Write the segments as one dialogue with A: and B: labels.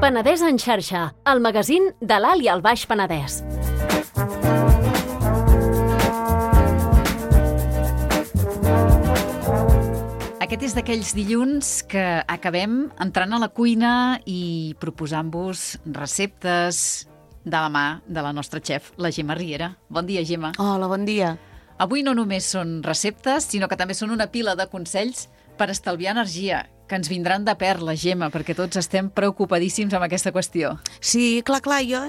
A: Penedès en xarxa, el magazín de l'Alt i el Baix Penedès.
B: Aquest és d'aquells dilluns que acabem entrant a la cuina i proposant-vos receptes de la mà de la nostra xef, la Gemma Riera. Bon dia, Gemma.
C: Hola, bon dia.
B: Avui no només són receptes, sinó que també són una pila de consells per estalviar energia, que ens vindran de perla, Gemma, perquè tots estem preocupadíssims amb aquesta qüestió.
C: Sí, clar, jo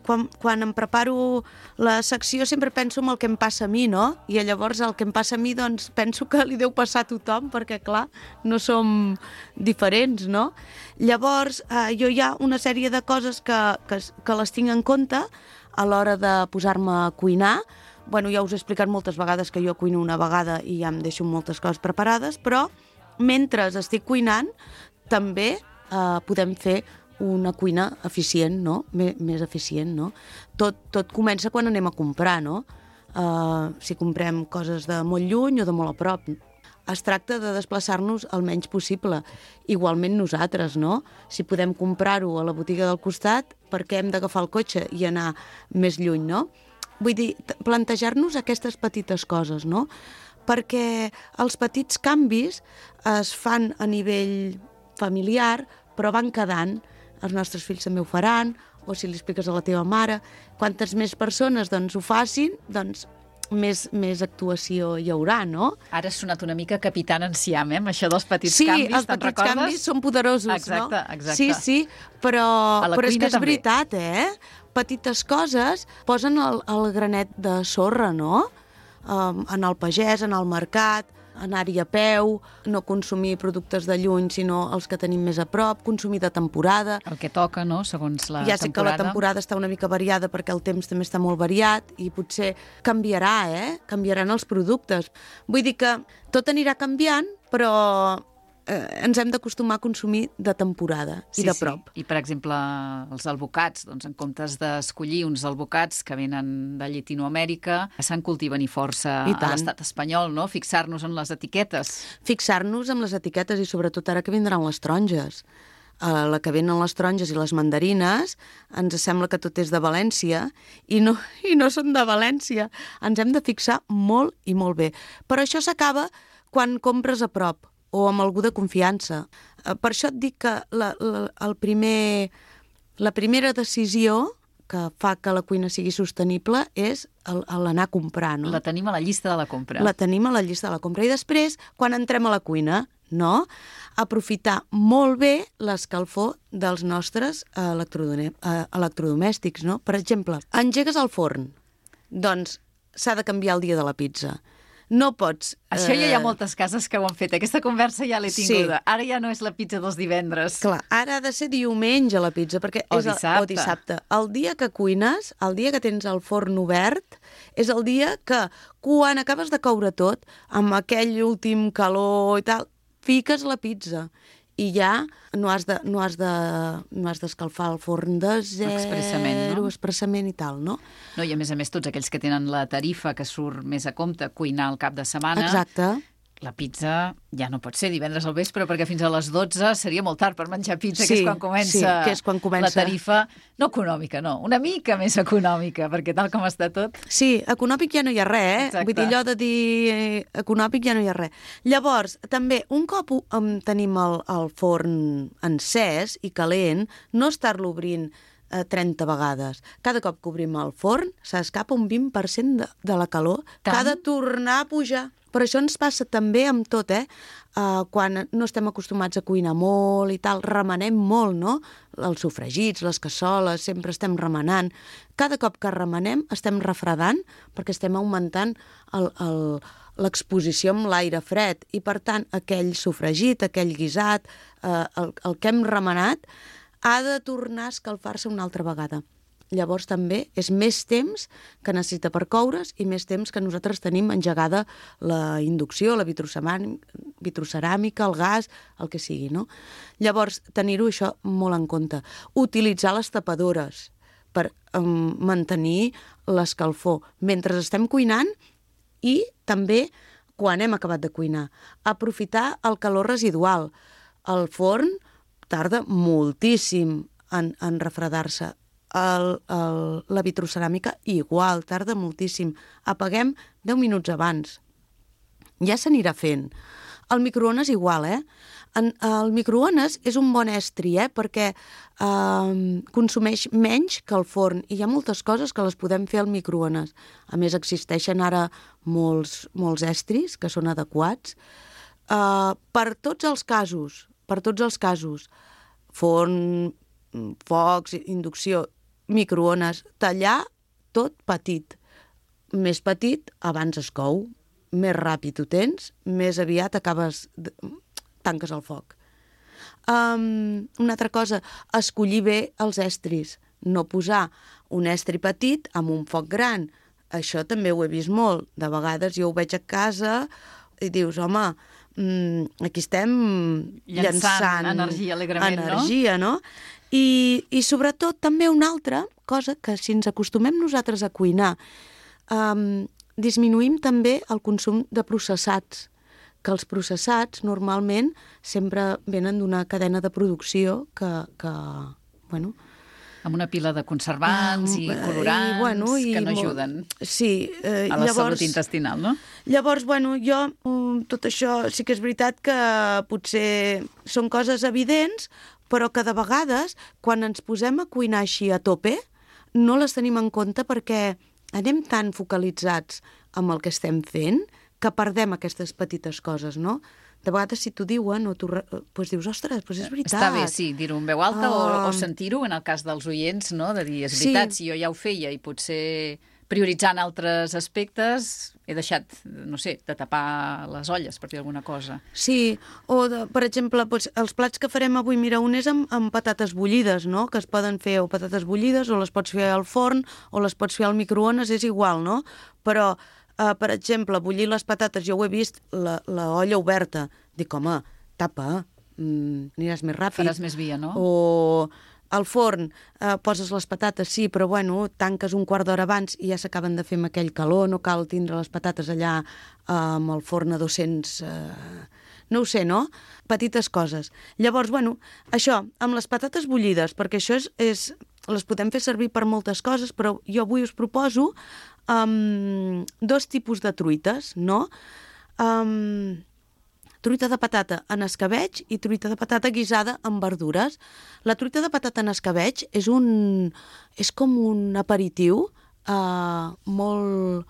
C: quan em preparo la secció sempre penso en el que em passa a mi, no? I llavors el que em passa a mi, doncs, penso que li deu passar a tothom, perquè, clar, no som diferents, no? Llavors, jo hi ha una sèrie de coses que les tinc en compte a l'hora de posar-me a cuinar. Bueno, ja us he explicat moltes vegades que jo cuino una vegada i ja em deixo moltes coses preparades, però mentre estic cuinant també podem fer una cuina eficient, no? Més eficient, no? Tot comença quan anem a comprar, no? Si comprem coses de molt lluny o de molt a prop. Es tracta de desplaçar-nos el menys possible. Igualment nosaltres, no? Si podem comprar-ho a la botiga del costat, per què hem d'agafar el cotxe i anar més lluny, no? Vull dir, plantejar-nos aquestes petites coses, no? Perquè els petits canvis es fan a nivell familiar, però van quedant. Els nostres fills també ho faran, o si li expliques a la teva mare. Quantes més persones ho facin, doncs més actuació hi haurà, no?
B: Ara has sonat una mica Capitán Enciam, amb això dels petits canvis,
C: Sí, els petits canvis són poderosos, no?
B: Exacte.
C: Sí, però és que és
B: també.
C: veritat, Petites coses posen el granet de sorra, no? Anar al pagès, anar al mercat, anar-hi a peu, no consumir productes de lluny, sinó els que tenim més a prop, consumir de temporada.
B: El que toca, no?, segons la temporada.
C: Ja sé que la temporada està una mica variada perquè el temps també està molt variat i potser canviarà, canviaran els productes. Vull dir que tot anirà canviant, però ens hem d'acostumar a consumir de temporada i de prop.
B: Sí. I, per exemple, els alvocats, doncs, en comptes d'escollir uns alvocats que venen de Llatinoamèrica, se'n cultiven i força a l'estat espanyol, no? Fixar-nos en les etiquetes.
C: Fixar-nos en les etiquetes i sobretot ara que vindran les taronges. La que venen les taronges i les mandarines, ens sembla que tot és de València i no són de València. Ens hem de fixar molt i molt bé. Però això s'acaba quan compres a prop o amb algú de confiança. Per això et dic que la primera decisió que fa que la cuina sigui sostenible és l'anar a comprar, no?
B: La tenim a la llista de la compra.
C: La tenim a la llista de la compra. I després, quan entrem a la cuina, no? Aprofitar molt bé l'escalfor dels nostres electrodomèstics, no? Per exemple, engegues el forn, doncs s'ha de canviar el dia de la pizza. No pots...
B: Això ja hi ha moltes cases que ho han fet. Aquesta conversa ja l'he tinguda.
C: Sí.
B: Ara ja no és la pizza dels divendres.
C: Clar, ara ha de ser diumenge la pizza, perquè
B: o dissabte.
C: El dia que cuines, el dia que tens el forn obert, és el dia que, quan acabes de coure tot, amb aquell últim calor i tal, fiques la pizza. I ja no has d'escalfar el forn de zero, expressament i tal, no?
B: No, i a més, tots aquells que tenen la tarifa que surt més a compte cuinar al cap de setmana...
C: Exacte.
B: La pizza ja no pot ser divendres al vespre, perquè fins a les 12 seria molt tard per menjar pizza, que és quan comença la tarifa, no econòmica, no, una mica més econòmica, perquè tal com està tot...
C: Sí, econòmic ja no hi ha res,
B: Exacte.
C: Vull dir, allò de dir econòmic ja no hi ha res. Llavors, també, un cop tenim el forn encès i calent, no estar-lo obrint 30 vegades. Cada cop que obrim el forn s'escapa un 20% de la calor que ha de tornar a pujar. Però això ens passa també amb tot, quan no estem acostumats a cuinar molt i tal, remenem molt, no? Els sofregits, les cassoles, sempre estem remenant. Cada cop que remenem estem refredant perquè estem augmentant l'exposició amb l'aire fred i, per tant, aquell sofregit, aquell guisat, el que hem remenat, ha de tornar a escalfar-se una altra vegada. Llavors també és més temps que necessita per coure's i més temps que nosaltres tenim engegada la inducció, la vitroceràmica, el gas, el que sigui, no? Llavors, tenir-ho això molt en compte. Utilitzar les tapadores per mantenir l'escalfor mentre estem cuinant i també quan hem acabat de cuinar. Aprofitar el calor residual. El forn tarda moltíssim en refredar-se. La vitroceràmica igual, tarda moltíssim. Apaguem 10 minuts abans. Ja s'anirà fent. El microones igual, el microones és un bon estri, perquè consumeix menys que el forn i hi ha moltes coses que les podem fer al microones. A més, existeixen ara molts estris que són adequats. Per tots els casos, forn, focs, inducció, microones, tallar tot petit. Més petit, abans es cou. Més ràpid ho tens, més aviat tanques el foc. Una altra cosa, escollir bé els estris. No posar un estri petit amb un foc gran. Això també ho he vist molt. De vegades jo ho veig a casa i dius, home, aquí estem llançant
B: energia alegrement,
C: no? I sobretot també una altra cosa que si ens acostumem nosaltres a cuinar, disminuïm també el consum de processats, que els processats normalment sempre venen d'una cadena de producció que bueno...
B: Amb una pila de conservants i colorants que no ajuden a la salut intestinal, no?
C: Llavors, jo, tot això sí que és veritat que potser són coses evidents, però que de vegades, quan ens posem a cuinar així a tope, no les tenim en compte perquè anem tan focalitzats amb el que estem fent que perdem aquestes petites coses, no? De vegades, si t'ho diuen, doncs dius, ostres, doncs és veritat.
B: Està bé, sí, dir-ho en veu alta o sentir-ho, en el cas dels oients, no? De dir, és veritat, si jo ja ho feia i potser prioritzant altres aspectes he deixat, no sé, de tapar les olles, per dir alguna cosa.
C: Sí, per exemple, els plats que farem avui, mira, un és amb patates bullides, no? Que es poden fer o patates bullides o les pots fer al forn o les pots fer al microones, és igual, no? Però per exemple, bullir les patates, jo ho he vist, l'olla oberta. Dic, home, tapa, aniràs més ràpid.
B: Faràs més via, no?
C: O al forn poses les patates, sí, però tanques un quart d'hora abans i ja s'acaben de fer amb aquell calor, no cal tindre les patates allà amb el forn a 200... No ho sé, no? Petites coses. Llavors, això, amb les patates bullides, perquè això les podem fer servir per moltes coses, però jo avui us proposo dos tipus de truites, no? Truita de patata en escabeig i truita de patata guisada amb verdures. La truita de patata en escabeig és com un aperitiu molt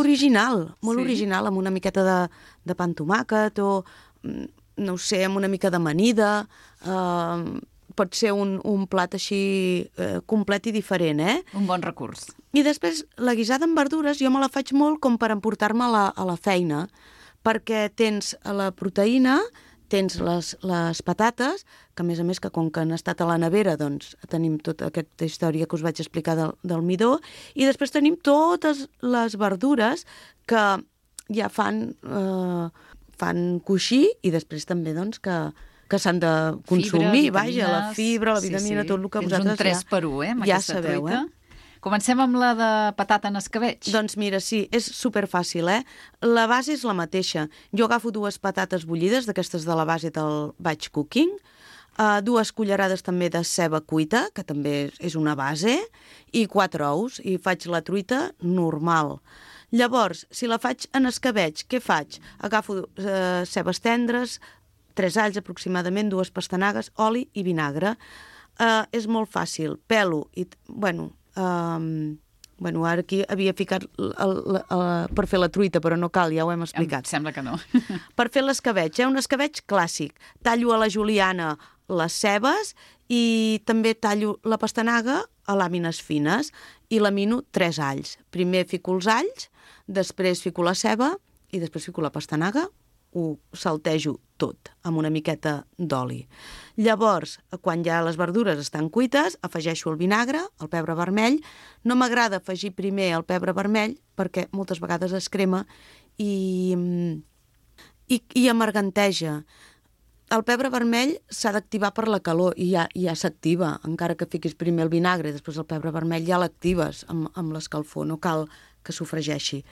C: original, amb una miqueta de pa amb tomàquet o, no ho sé, amb una mica d'amanida. Pot ser un plat així complet i diferent,
B: Un bon recurs.
C: I després, la guisada amb verdures, jo me la faig molt com per emportar-me a la feina, perquè tens la proteïna, tens les patates, que a més que com que han estat a la nevera, doncs tenim tota aquesta història que us vaig explicar del midó, i després tenim totes les verdures que ja fan coixí i després també doncs que s'han de consumir, la fibra, la vitamina, tot el que vosaltres
B: ja... Tens un 3x1, amb aquesta
C: sabeu,
B: truita. Comencem amb la de patata en escabeig.
C: Doncs mira, sí, és superfàcil, La base és la mateixa. Jo agafo 2 patates bullides, d'aquestes de la base del batch cooking, 2 cullerades també de ceba cuita, que també és una base, i 4 ous, i faig la truita normal. Llavors, si la faig en escabeig, què faig? Agafo cebes tendres, 3 alls aproximadament, 2 pastanagues, oli i vinagre. És molt fàcil. Pelo i... ara aquí havia ficat per fer la truita, però no cal, ja ho hem explicat.
B: Em sembla que no.
C: Per fer l'escabeig, un escabeig clàssic. Tallo a la juliana les cebes i també tallo la pastanaga a làmines fines i lamino 3 alls. Primer fico els alls, després fico la ceba i després fico la pastanaga, ho saltejo tot amb una miqueta d'oli. Llavors, quan ja les verdures estan cuites, afegeixo el vinagre, el pebre vermell. No m'agrada afegir primer el pebre vermell perquè moltes vegades es crema i amarganteja. El pebre vermell s'ha d'activar per la calor i ja s'activa, encara que fiquis primer el vinagre i després el pebre vermell ja l'actives amb l'escalfor, no cal que sofregeixi.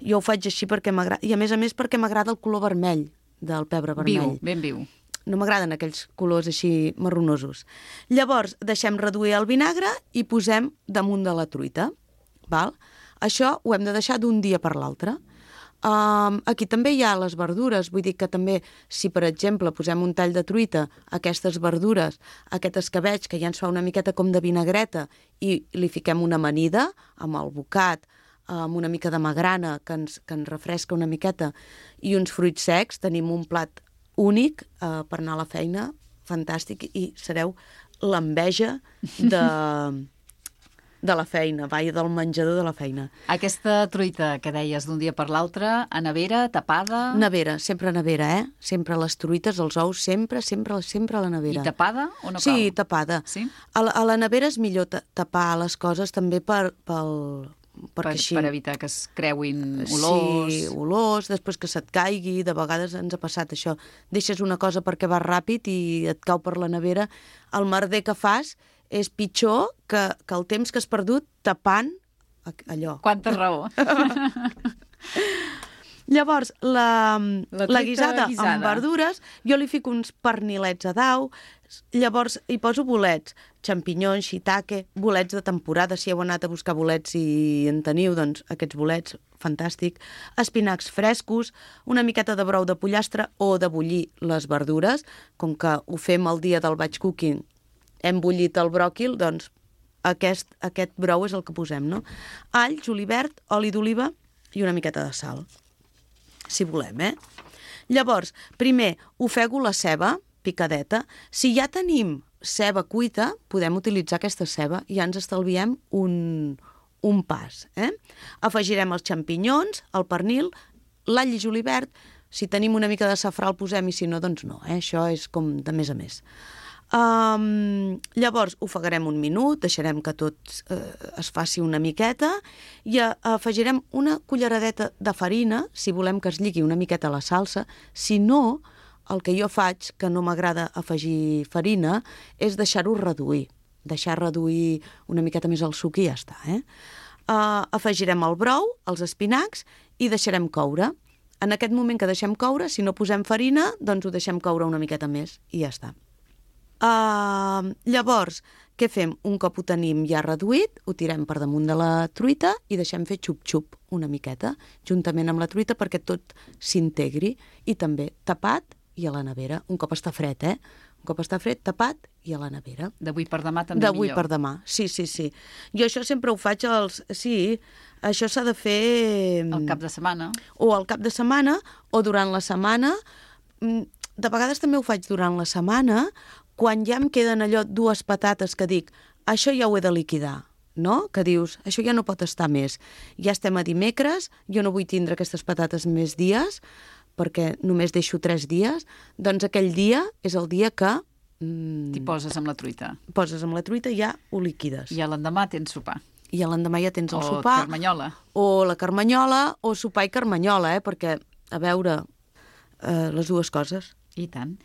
C: Jo ho faig així perquè m'agrada, i a més perquè m'agrada el color vermell del pebre vermell.
B: Viu, ben viu.
C: no m'agraden aquells colors així marronosos. Llavors, deixem reduir el vinagre i posem damunt de la truita. Val? Això ho hem de deixar d'un dia per l'altre. Aquí també hi ha les verdures, vull dir que també, si per exemple posem un tall de truita, aquestes verdures, aquest escabeig, que ja ens fa una miqueta com de vinagreta, i li fiquem una amanida amb el bocat, amb una mica de magrana que ens refresca una miqueta, i uns fruits secs, tenim un plat únic per anar a la feina, fantàstic, i sereu l'enveja de la feina, del menjador de la feina.
B: Aquesta truita que deies d'un dia per l'altre, a nevera, tapada...
C: Nevera, sempre a nevera, Sempre les truites, els ous, sempre a la nevera.
B: I tapada o no cal?
C: Sí, tapada.
B: Sí?
C: A la nevera és millor tapar les coses també per
B: evitar que es creuin olors.
C: Sí, olors, després que se't caigui, de vegades ens ha passat això. Deixes una cosa perquè va ràpid i et cau per la nevera. El merder que fas és pitjor que el temps que has perdut tapant allò.
B: Quanta raó.
C: Llavors, la guisada
B: guisada
C: amb verdures, jo li fico uns pernilets a dau, llavors hi poso bolets, xampinyons, shiitake, bolets de temporada, si heu anat a buscar bolets i en teniu, doncs aquests bolets, fantàstic, espinacs frescos, una miqueta de brou de pollastre o de bullir les verdures, com que ho fem el dia del batch cooking, hem bullit el bròquil, doncs aquest brou és el que posem, no? All, julivert, oli d'oliva i una miqueta de sal, si volem, Llavors, primer, ofego la ceba picadeta. Si ja tenim ceba cuita, podem utilitzar aquesta ceba i ja ens estalviem un pas, Afegirem els xampinyons, el pernil, l'all i julivert. Si tenim una mica de safrà el posem i si no, doncs no, Això és com de més a més. Llavors ofegarem un minut, deixarem que tot es faci una miqueta i afegirem una culleradeta de farina, si volem que es lligui una miqueta a la salsa. Si no, el que jo faig, que no m'agrada afegir farina, és deixar-ho reduir. Deixar reduir una miqueta més el suc i ja està. Afegirem el brou, els espinacs i deixarem coure. En aquest moment que deixem coure, si no posem farina, doncs ho deixem coure una miqueta més i ja està. Llavors, què fem? Un cop ho tenim ja reduït, ho tirem per damunt de la truita i deixem fer xup-xup una miqueta, juntament amb la truita perquè tot s'integri i també tapat i a la nevera. Un cop està fred, Un cop està fred, tapat i a la nevera.
B: D'avui per demà també millor.
C: D'avui per demà, sí. Jo això sempre ho faig Sí, això s'ha de fer...
B: Al cap de setmana.
C: O al cap de setmana o durant la setmana. De vegades també ho faig durant la setmana, quan ja em queden allò dues patates que dic, això ja ho he de liquidar, no? Que dius, això ja no pot estar més. Ja estem a dimecres, jo no vull tindre aquestes patates més dies, perquè només deixo 3 dies, doncs aquell dia és el dia que...
B: T'hi poses amb la truita.
C: Poses amb la truita i ja ho liquides.
B: I a l'endemà tens sopar.
C: I a l'endemà ja tens el sopar.
B: O carmanyola.
C: O la carmanyola, o sopar i carmanyola, perquè, a veure, les dues coses.
B: I tant.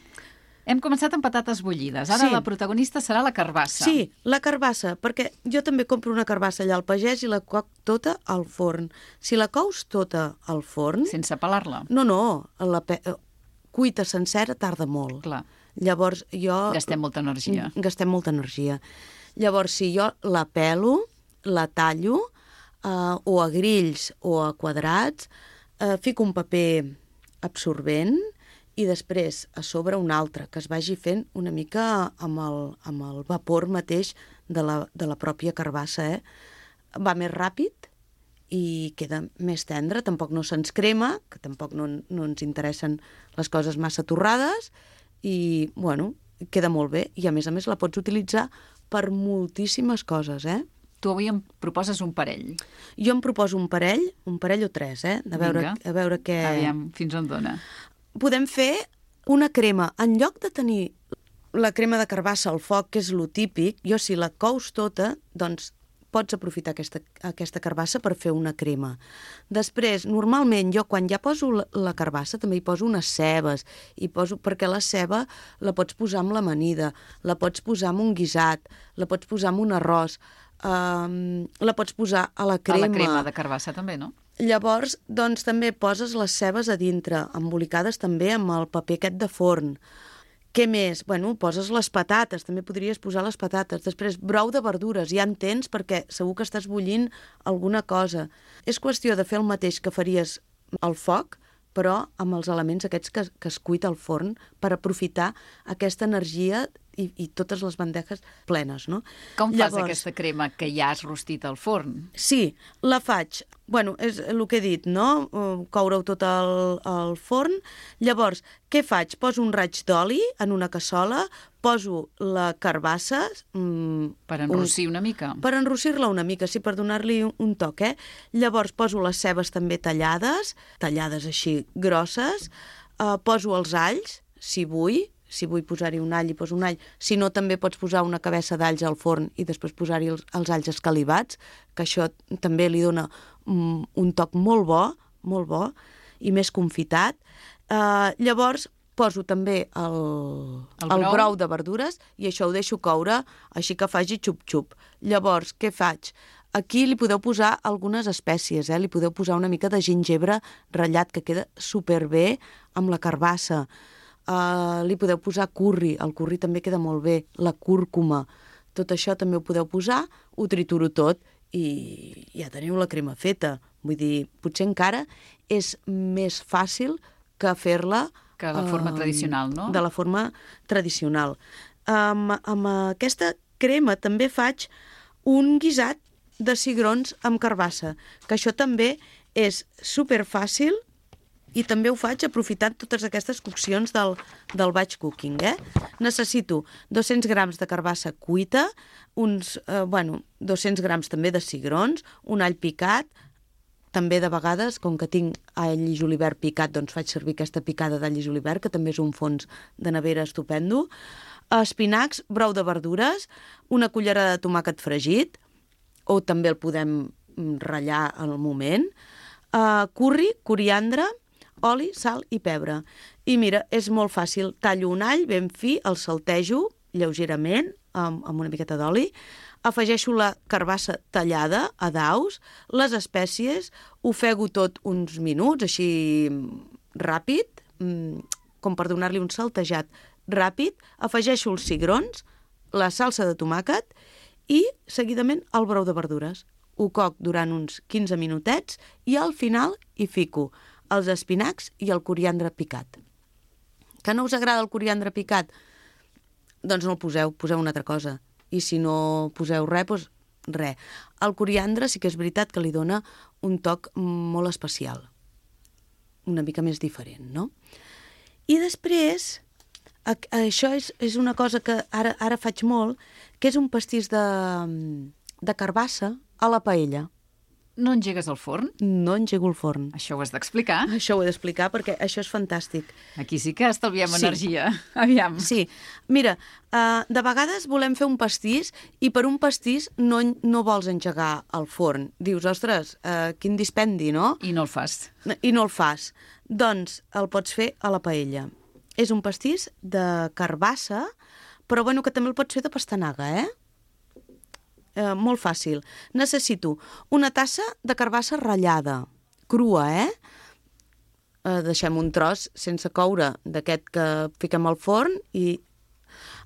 B: Hem començat amb patates bullides. Ara la protagonista serà la carbassa.
C: Sí, la carbassa, perquè jo també compro una carbassa allà al pagès i la coc tota al forn. Si la cous tota al forn...
B: Sense pelar-la?
C: No, cuita sencera tarda molt.
B: Clar.
C: Llavors jo...
B: Gastem molta energia.
C: Llavors, si jo la pelo, la tallo, o a grills o a quadrats, fico un paper absorbent i després a sobre un altre, que es vagi fent una mica amb el vapor mateix de la pròpia carbassa. Va més ràpid i queda més tendre, tampoc no se'ns crema, que tampoc no ens interessen les coses massa torrades, i, bueno, queda molt bé. I, a més la pots utilitzar per moltíssimes coses,
B: Tu avui em proposes un parell.
C: Jo em proposo un parell o 3, a veure què...
B: Aviam, fins on dona.
C: Podem fer una crema. En lloc de tenir la crema de carbassa al foc, que és lo típic, jo si la cous tota, doncs pots aprofitar aquesta carbassa per fer una crema. Després, normalment, jo quan ja poso la carbassa també hi poso unes cebes, perquè la ceba la pots posar amb l'amanida, la pots posar amb un guisat, la pots posar amb un arròs, la pots posar a la crema.
B: A la crema de carbassa també, no?
C: Llavors, doncs també poses les cebes a dintre, embolicades també amb el paper aquest de forn. Què més? Bueno, poses les patates, també podries posar les patates. Després, brou de verdures, ja en tens perquè segur que estàs bullint alguna cosa. És qüestió de fer el mateix que faries al foc, però amb els elements aquests que es cuita al forn per aprofitar aquesta energia i totes les bandejes plenes, no?
B: Com fas aquesta crema que ja has rostit al forn?
C: Sí, la faig. Bueno, és el que he dit, no? Coure-ho tot al forn. Llavors, què faig? Poso un raig d'oli en una cassola, poso la carbassa...
B: Per enrossir una mica.
C: Per enrossir-la una mica, sí, per donar-li un toc, Llavors poso les cebes també tallades així grosses, poso els alls, si vull posar-hi un all, hi poso un all. Si no, també pots posar una cabeça d'alls al forn i després posar-hi els alls escalivats, que això també li dona un toc molt bo i més confitat. Llavors, poso també el brou de verdures i això ho deixo coure, així que faci xup-xup. Llavors, què faig? Aquí li podeu posar algunes espècies, li podeu posar una mica de gingebre ratllat, que queda superbé amb la carbassa. Li podeu posar curri, el curri també queda molt bé, la cúrcuma, tot això també ho podeu posar, ho trituro tot i ja teniu la crema feta. Vull dir, potser encara és més fàcil que fer-la...
B: Que la forma tradicional, no?
C: De la forma tradicional. Amb aquesta crema també faig un guisat de cigrons amb carbassa, que això també és superfàcil i també ho faig aprofitant totes aquestes coccions del batch cooking. Necessito 200 grams de carbassa cuita, uns 200 grams també de cigrons, un all picat, també de vegades, com que tinc all i julivert picat, doncs faig servir aquesta picada d'all i julivert, que també és un fons de nevera estupendo, espinacs, brou de verdures, una cullerada de tomàquet fregit, o també el podem ratllar al moment, curri, coriandre, oli, sal i pebre. I mira, és molt fàcil. Tallo un all ben fi, el saltejo lleugerament amb una miqueta d'oli, afegeixo la carbassa tallada a daus, les espècies, ofego tot uns minuts, així ràpid, com per donar-li un saltejat ràpid, afegeixo els cigrons, la salsa de tomàquet i, seguidament, el brou de verdures. Ho coc durant uns 15 minutets i al final hi fico els espinacs i el coriandre picat. Que no us agrada el coriandre picat? Doncs no el poseu una altra cosa. I si no poseu res, doncs res. El coriandre sí que és veritat que li dona un toc molt especial. Una mica més diferent, no? I després, això és una cosa que ara faig molt, que és un pastís de carbassa a la paella.
B: No engegues el forn?
C: No engego el forn.
B: Això ho has d'explicar.
C: Això ho he d'explicar perquè això és fantàstic.
B: Aquí sí que estalviem energia. Aviam.
C: Sí. Mira, de vegades volem fer un pastís i per un pastís no vols engegar el forn. Dius, ostres, quin dispendi, no?
B: I no el fas.
C: I no el fas. Doncs el pots fer a la paella. És un pastís de carbassa, però bueno, que també el pots fer de pastanaga, molt fàcil. Necessito una tassa de carbassa ratllada, crua, deixem un tros sense coure d'aquest que fiquem al forn i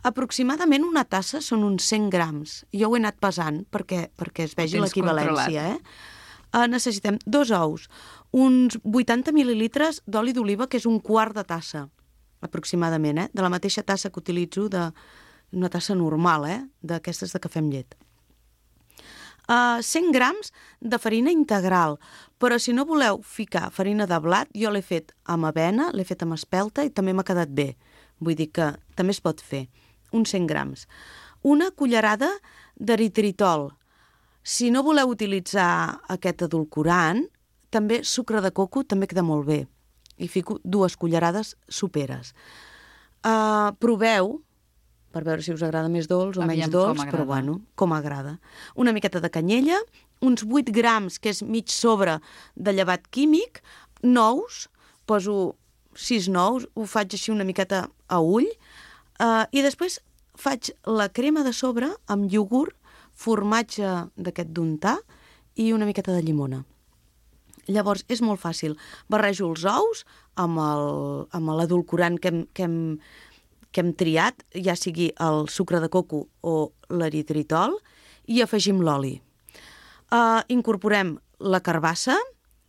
C: aproximadament una tassa són uns 100 grams. Jo ho he anat pesant perquè es vegi l'equivalència. Necessitem 2 ous, uns 80 mil·lilitres d'oli d'oliva, que és un quart de tassa, aproximadament, de la mateixa tassa que utilitzo, una tassa normal, d'aquestes de cafè amb llet. 100 grams de farina integral, però si no voleu ficar farina de blat, jo l'he fet amb avena, l'he fet amb espelta i també m'ha quedat bé. Vull dir que també es pot fer. Uns 100 grams. Una cullerada d'eritritol. Si no voleu utilitzar aquest edulcorant, també sucre de coco també queda molt bé. I fico 2 cullerades soperes. Proveu, per veure si us agrada més dolç o menys dolç, però bueno, com agrada. Una miqueta de canyella, uns 8 grams, que és mig sobre de llevat químic, nous, poso 6 nous, ho faig així una miqueta a ull, i després faig la crema de sobre amb iogurt, formatge d'aquest d'untar i una miqueta de llimona. Llavors, és molt fàcil. Barrejo els ous amb l'edulcorant que que hem triat, ja sigui el sucre de coco o l'eritritol, i afegim l'oli. Incorporem la carbassa,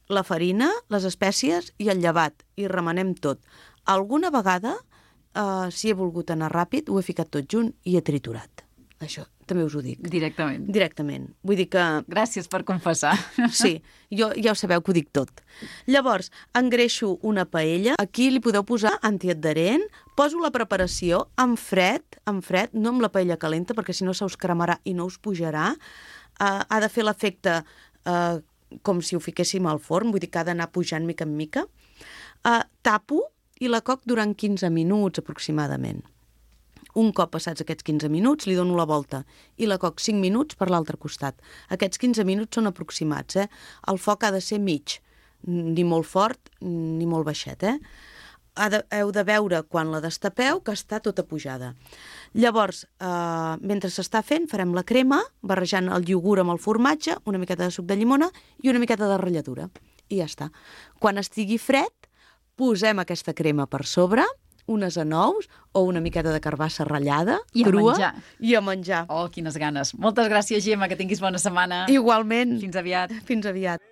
C: la farina, les espècies i el llevat, i remenem tot. Alguna vegada, si he volgut anar ràpid, ho he ficat tot junt i he triturat. Això també us ho dic.
B: Directament.
C: Directament. Vull dir que...
B: Gràcies per confessar.
C: Sí, ja ho sabeu que ho dic tot. Llavors, engreixo una paella. Aquí li podeu posar antiadherent. Poso la preparació en fred, no amb la paella calenta, perquè si no se us cremarà i no us pujarà. Ha de fer l'efecte com si ho fiquéssim al forn, vull dir que ha d'anar pujant mica en mica. Tapo i la coc durant 15 minuts aproximadament. Un cop passats aquests 15 minuts, li dono la volta i la coc 5 minuts per l'altre costat. Aquests 15 minuts són aproximats, eh? El foc ha de ser mig, ni molt fort ni molt baixet, eh? Heu de veure quan la destapeu que està tota pujada. Llavors, mentre s'està fent, farem la crema, barrejant el iogurt amb el formatge, una miqueta de suc de llimona i una miqueta de ratlladura. I ja està. Quan estigui fred, posem aquesta crema per sobre, unes anous o una miqueta de carbassa ratllada, crua, i a menjar.
B: Oh, quines ganes. Moltes gràcies, Gemma, que tinguis bona setmana.
C: Igualment.
B: Fins aviat.
C: Fins aviat.